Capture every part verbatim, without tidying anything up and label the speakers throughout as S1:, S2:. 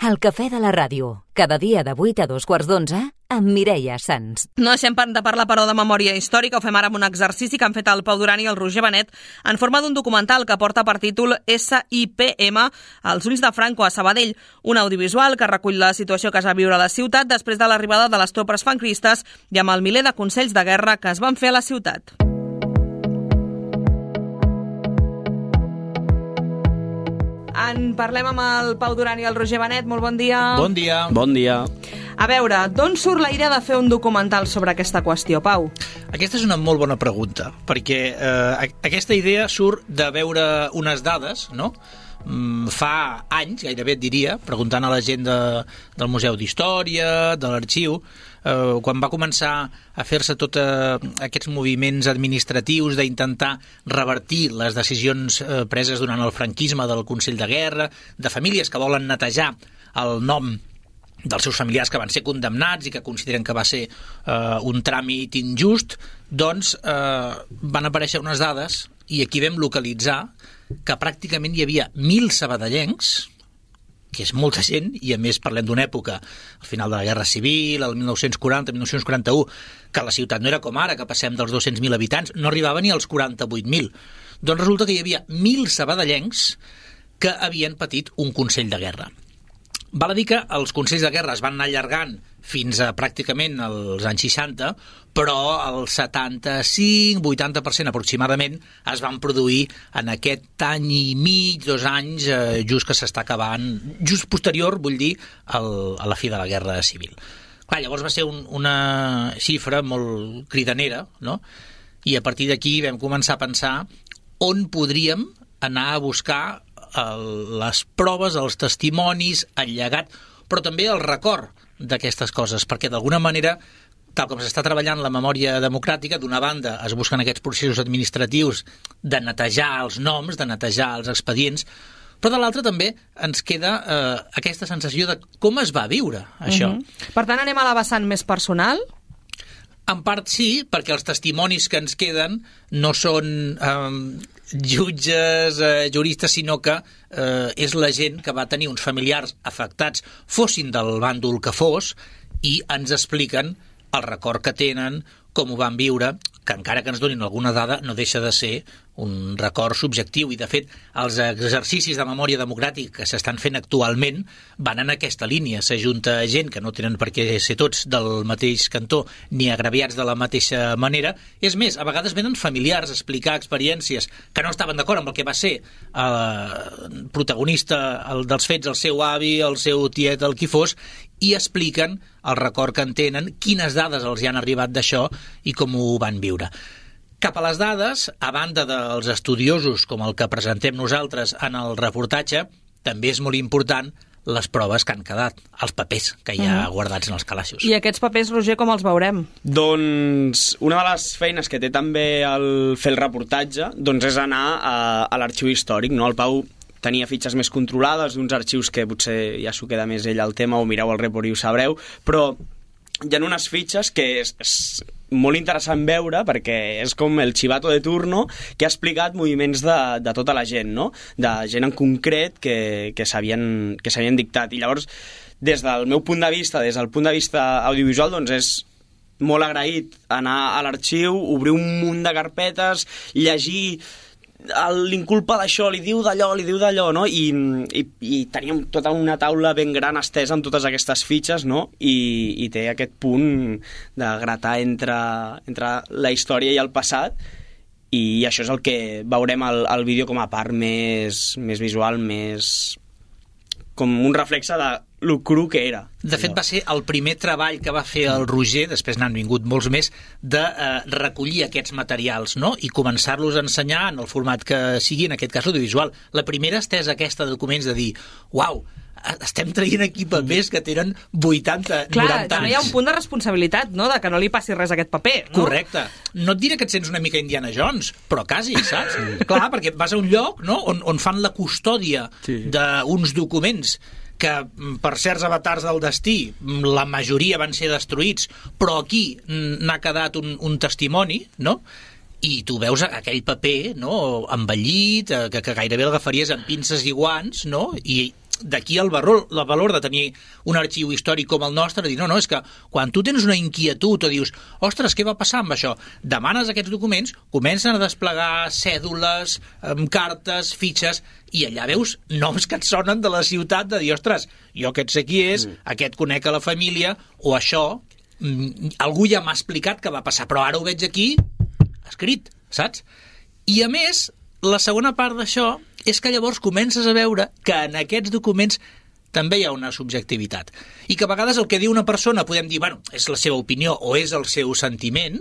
S1: El cafè de la ràdio, cada dia de vuit a dos quarts d'onze, amb Mireia Sans.
S2: No deixem de parlar, però, de memòria històrica. Ho fem ara amb un exercici que han fet el Pau Duran i el Roger Benet en forma d'un documental que porta per títol S I P M, Els ulls de Franco a Sabadell, un audiovisual que recull la situació que es va viure a la ciutat després de l'arribada de les tropes franquistes i amb el miler de consells de guerra que es van fer a la ciutat. En parlem amb el Pau Duran i el Roger Benet. Molt bon dia.
S3: Bon dia.
S4: Bon dia.
S2: A veure, d'on surt la idea de fer un documental sobre aquesta qüestió, Pau?
S3: Aquesta és una molt bona pregunta, perquè eh, aquesta idea surt de veure unes dades, no?, fa anys, gairebé et diria, preguntant a la gent de, del Museu d'Història, de l'Arxiu, eh, quan va començar a fer-se tots eh, aquests moviments administratius d'intentar revertir les decisions eh, preses durant el franquisme del Consell de Guerra, de famílies que volen netejar el nom dels seus familiars que van ser condemnats i que consideren que va ser eh, un tràmit injust, doncs eh, van aparèixer unes dades i aquí vam localitzar que pràcticament hi havia mil sabadellencs, que és molta gent, i a més parlem d'una època, al final de la Guerra Civil, el mil nou-cents quaranta, mil nou-cents quaranta-u, que la ciutat no era com ara, que passem dels dos-cents mil habitants, no arribava ni als quaranta-vuit mil. Doncs resulta que hi havia mil sabadellencs que havien patit un consell de guerra. Val a dir que els consells de guerra es van anar allargant fins a pràcticament els anys seixanta, però el setanta-cinc vuitanta per cent aproximadament es van produir en aquest any i mig, dos anys, eh, just que s'està acabant, just posterior, vull dir, al, a la fi de la Guerra Civil. Clar, llavors va ser un, una xifra molt cridanera, no? I a partir d'aquí vam començar a pensar on podríem anar a buscar el, les proves, els testimonis, el llegat, però també el record d'aquestes coses, perquè d'alguna manera, tal com s'està treballant la memòria democràtica, d'una banda es busquen aquests processos administratius de netejar els noms, de netejar els expedients, però de l'altra també ens queda eh, aquesta sensació de com es va viure això.
S2: Mm-hmm. Per tant, anem a la vessant més personal?
S3: En part sí, perquè els testimonis que ens queden no són eh, jutges, eh, juristes, sinó que eh, és la gent que va tenir uns familiars afectats, fossin del bàndol que fos, i ens expliquen el record que tenen, com ho van viure, que encara que ens donin alguna dada no deixa de ser un record subjectiu, i de fet els exercicis de memòria democràtica que s'estan fent actualment van en aquesta línia. S'ajunta gent que no tenen per què ser tots del mateix cantó ni agraviats de la mateixa manera. És més, a vegades venen familiars a explicar experiències que no estaven d'acord amb el que va ser el protagonista el, dels fets, el seu avi, el seu tiet, el qui fos, i expliquen el record que en tenen, quines dades els hi han arribat d'això i com ho van viure. Cap a les dades, a banda dels estudiosos com el que presentem nosaltres en el reportatge, també és molt important les proves que han quedat, els papers que hi ha uh-huh. guardats en els calaixos.
S2: I aquests papers, Roger, com els veurem?
S4: Doncs una de les feines que té també el fer el reportatge doncs és anar a, a l'arxiu històric, no? El Pau tenia fitxes més controlades d'uns arxius que potser ja s'ho queda més ell al tema, o mireu el report i ho sabreu, però hi ha unes fitxes que és, és molt interessant veure, perquè és com el chivato de turno que ha explicat moviments de, de tota la gent, no? De gent en concret que, que s'havien que s'havien dictat. I llavors, des del meu punt de vista, des del punt de vista audiovisual, doncs és molt agraït anar a l'arxiu, obrir un munt de carpetes, llegir l'inculpa d'això, li diu d'allò, li diu d'allò, no? I, i, i teníem tota una taula ben gran estesa amb totes aquestes fitxes, no? I, i té aquest punt de gratar entre, entre la història i el passat, i això és el que veurem al, al vídeo com a part més, més visual, més com un reflexe de lo cru que era.
S3: De fet, va ser el primer treball que va fer el Roger, després n'han vingut molts més, de eh, recollir aquests materials, no?, i començar-los a ensenyar en el format que sigui, en aquest cas audiovisual. La primera estesa aquesta de documents de dir, uau, estem traient aquí papers que tenen vuitanta,
S2: Clar,
S3: noranta anys.
S2: Clar, també hi ha un punt de responsabilitat, no?, de que no li passi res a aquest paper, no?
S3: Correcte. No et diré que et sents una mica Indiana Jones, però quasi, saps? Clar, perquè vas a un lloc, no?, on, on fan la custòdia sí. d'uns documents que per certs avatars del destí la majoria van ser destruïts, però aquí n'ha quedat un, un testimoni, no?, i tu veus aquell paper, no?, envellit, que, que gairebé l'agafaries amb pinces i guants, no?, i d'aquí el valor, el valor de tenir un arxiu històric com el nostre, dir, no, no, és que quan tu tens una inquietud o dius, ostres, què va passar amb això? Demanes aquests documents, comencen a desplegar cèdules, cartes, fitxes, i allà veus noms que et sonen de la ciutat de dir, ostres, jo aquest sé qui és, mm. aquest conec a la família, o això, algú ja m'ha explicat què va passar, però ara ho veig aquí escrit, saps? I a més, la segona part d'això és que llavors comences a veure que en aquests documents també hi ha una subjectivitat. I que a vegades el que diu una persona podem dir, bueno, és la seva opinió o és el seu sentiment,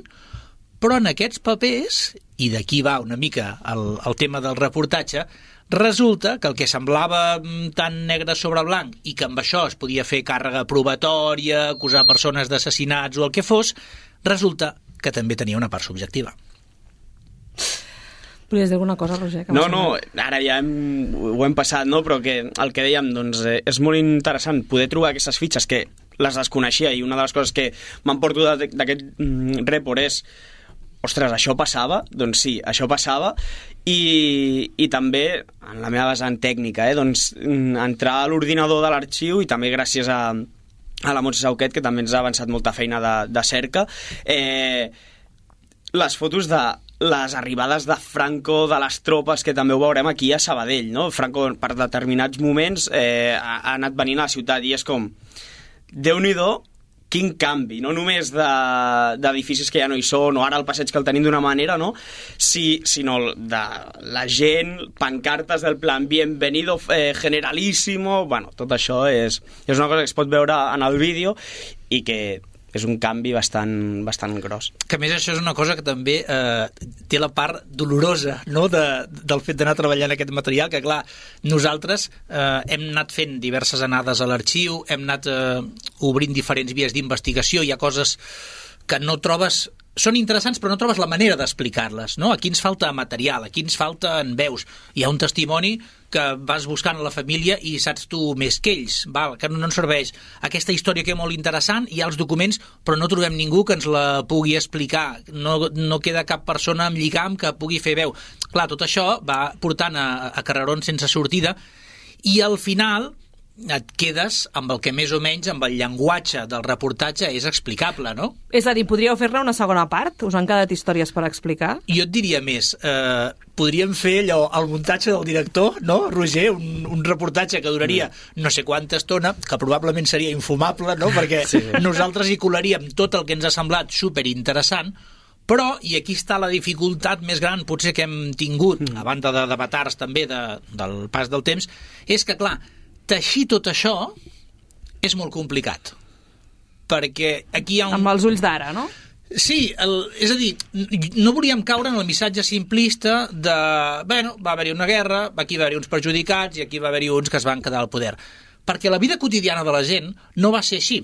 S3: però en aquests papers, i d'aquí va una mica el, el tema del reportatge, resulta que el que semblava tan negre sobre blanc i que amb això es podia fer càrrega probatòria, acusar persones d'assassinats o el que fos, resulta que també tenia una part subjectiva.
S2: Volies dir alguna cosa, Roger?
S4: No, no, ara ja hem, ho hem passat, no? Però que el que dèiem, doncs, eh, és molt interessant poder trobar aquestes fitxes que les desconeixia, i una de les coses que m'emporto d'aquest mm, report és, ostres, això passava? Doncs sí, això passava, i, i també, en la meva vessant tècnica, eh, doncs, entrar a l'ordinador de l'arxiu, i també gràcies a, a la Montse Sauquet, que també ens ha avançat molta feina de, de cerca, eh, les fotos de les arribades de Franco, de les tropes, que també ho veurem aquí a Sabadell, no? Franco, per determinats moments, eh, ha, ha anat venint a la ciutat, i és com, Déu-n'hi-do, quin canvi, no només d'edificis de, que ja no hi són, o ara el passeig que el tenim d'una manera, no? Si, sinó de la gent, pancartes del plan bienvenido eh, generalísimo, bueno, tot això és, és una cosa que es pot veure en el vídeo i que és un canvi bastant, bastant gros.
S3: Que a més això és una cosa que també eh, té la part dolorosa, no?, de, del fet d'anar treballant aquest material, que clar, nosaltres eh, hem anat fent diverses anades a l'arxiu, hem anat eh, obrint diferents vies d'investigació, hi ha coses que no trobes, són interessants però no trobes la manera d'explicar-les, no? Aquí ens falta material, aquí ens falta en veus, hi ha un testimoni que vas buscant a la família i saps tu més que ells, val, que no ens serveix aquesta història que és molt interessant, hi ha els documents però no trobem ningú que ens la pugui explicar, no, no queda cap persona amb lligam que pugui fer veu. Clar, tot això va portant a, a carrerons sense sortida, i al final et quedes amb el que més o menys amb el llenguatge del reportatge és explicable, no?
S2: És a dir, podríeu fer-ne una segona part? Us han quedat històries per explicar?
S3: Jo et diria més, eh, podríem fer allò, el muntatge del director, no, Roger? Un, un reportatge que duraria no sé quanta estona, que probablement seria infumable, no? Perquè sí. Nosaltres hi colaríem tot el que ens ha semblat superinteressant, però, i aquí està la dificultat més gran potser que hem tingut, mm. a banda de, de batards també de, del pas del temps, és que, clar, teixir tot això és molt complicat, perquè aquí hi ha un...
S2: Amb els ulls d'ara, no?
S3: Sí, el, és a dir, no volíem caure en el missatge simplista de, bueno, va haver-hi una guerra, aquí va haver-hi uns perjudicats i aquí va haver-hi uns que es van quedar al poder, perquè la vida quotidiana de la gent no va ser així.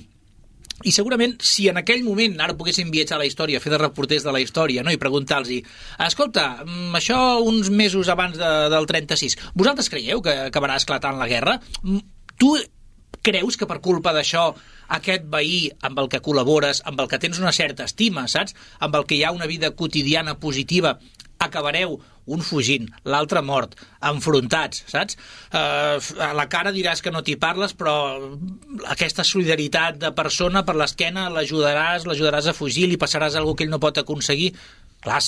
S3: I segurament, si en aquell moment ara poguéssim viatjar a la història, fer de reporters de la història, no? I preguntar-los, escolta, això uns mesos abans de, del trenta-sis, vosaltres creieu que acabarà esclatant la guerra? Tu creus que per culpa d'això aquest veí amb el que col·labores, amb el que tens una certa estima, saps? Amb el que hi ha una vida quotidiana positiva, acabareu un fugint, l'altre mort, enfrontats, saps? Eh, a la cara diràs que no t'hi parles, però aquesta solidaritat de persona per l'esquena l'ajudaràs, l'ajudaràs a fugir, li passaràs alguna que ell no pot aconseguir. Clar,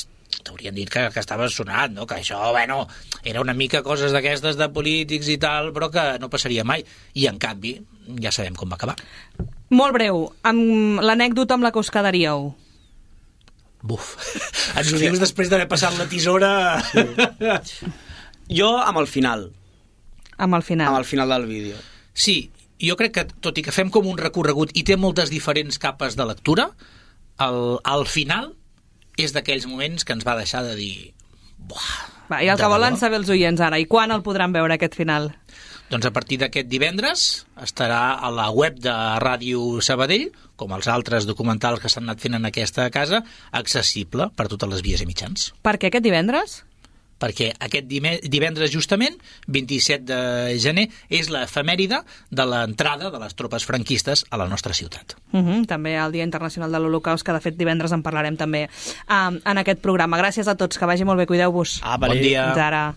S3: t'haurien dit que, que estaves sonat, no? Que això, bueno, era una mica coses d'aquestes de polítics i tal, però que no passaria mai. I, en canvi, ja sabem com va acabar.
S2: Molt breu, amb l'anècdota amb la que us quedaríeu.
S3: Buf, ens ho dius després d'haver passat la tisora...
S4: Sí. Jo amb el final.
S2: Amb el final.
S4: Amb el final del vídeo.
S3: Sí, jo crec que, tot i que fem com un recorregut i té moltes diferents capes de lectura, el, al final és d'aquells moments que ens va deixar de dir... Buah,
S2: va, I el que volen saber els oients ara, i quan el podran veure aquest final?
S3: Doncs a partir d'aquest divendres estarà a la web de Ràdio Sabadell, com els altres documentals que s'han anat fent en aquesta casa, accessible per totes les vies i mitjans.
S2: Per què aquest divendres?
S3: Perquè aquest divendres justament, vint-i-set de gener, és l'efemèride de l'entrada de les tropes franquistes a la nostra ciutat.
S2: Uh -huh, també el Dia Internacional de l'Holocaust, que de fet divendres en parlarem també um, en aquest programa. Gràcies a tots, que vagi molt bé, cuideu-vos.
S3: Ah, bon dia.
S2: Fins ara.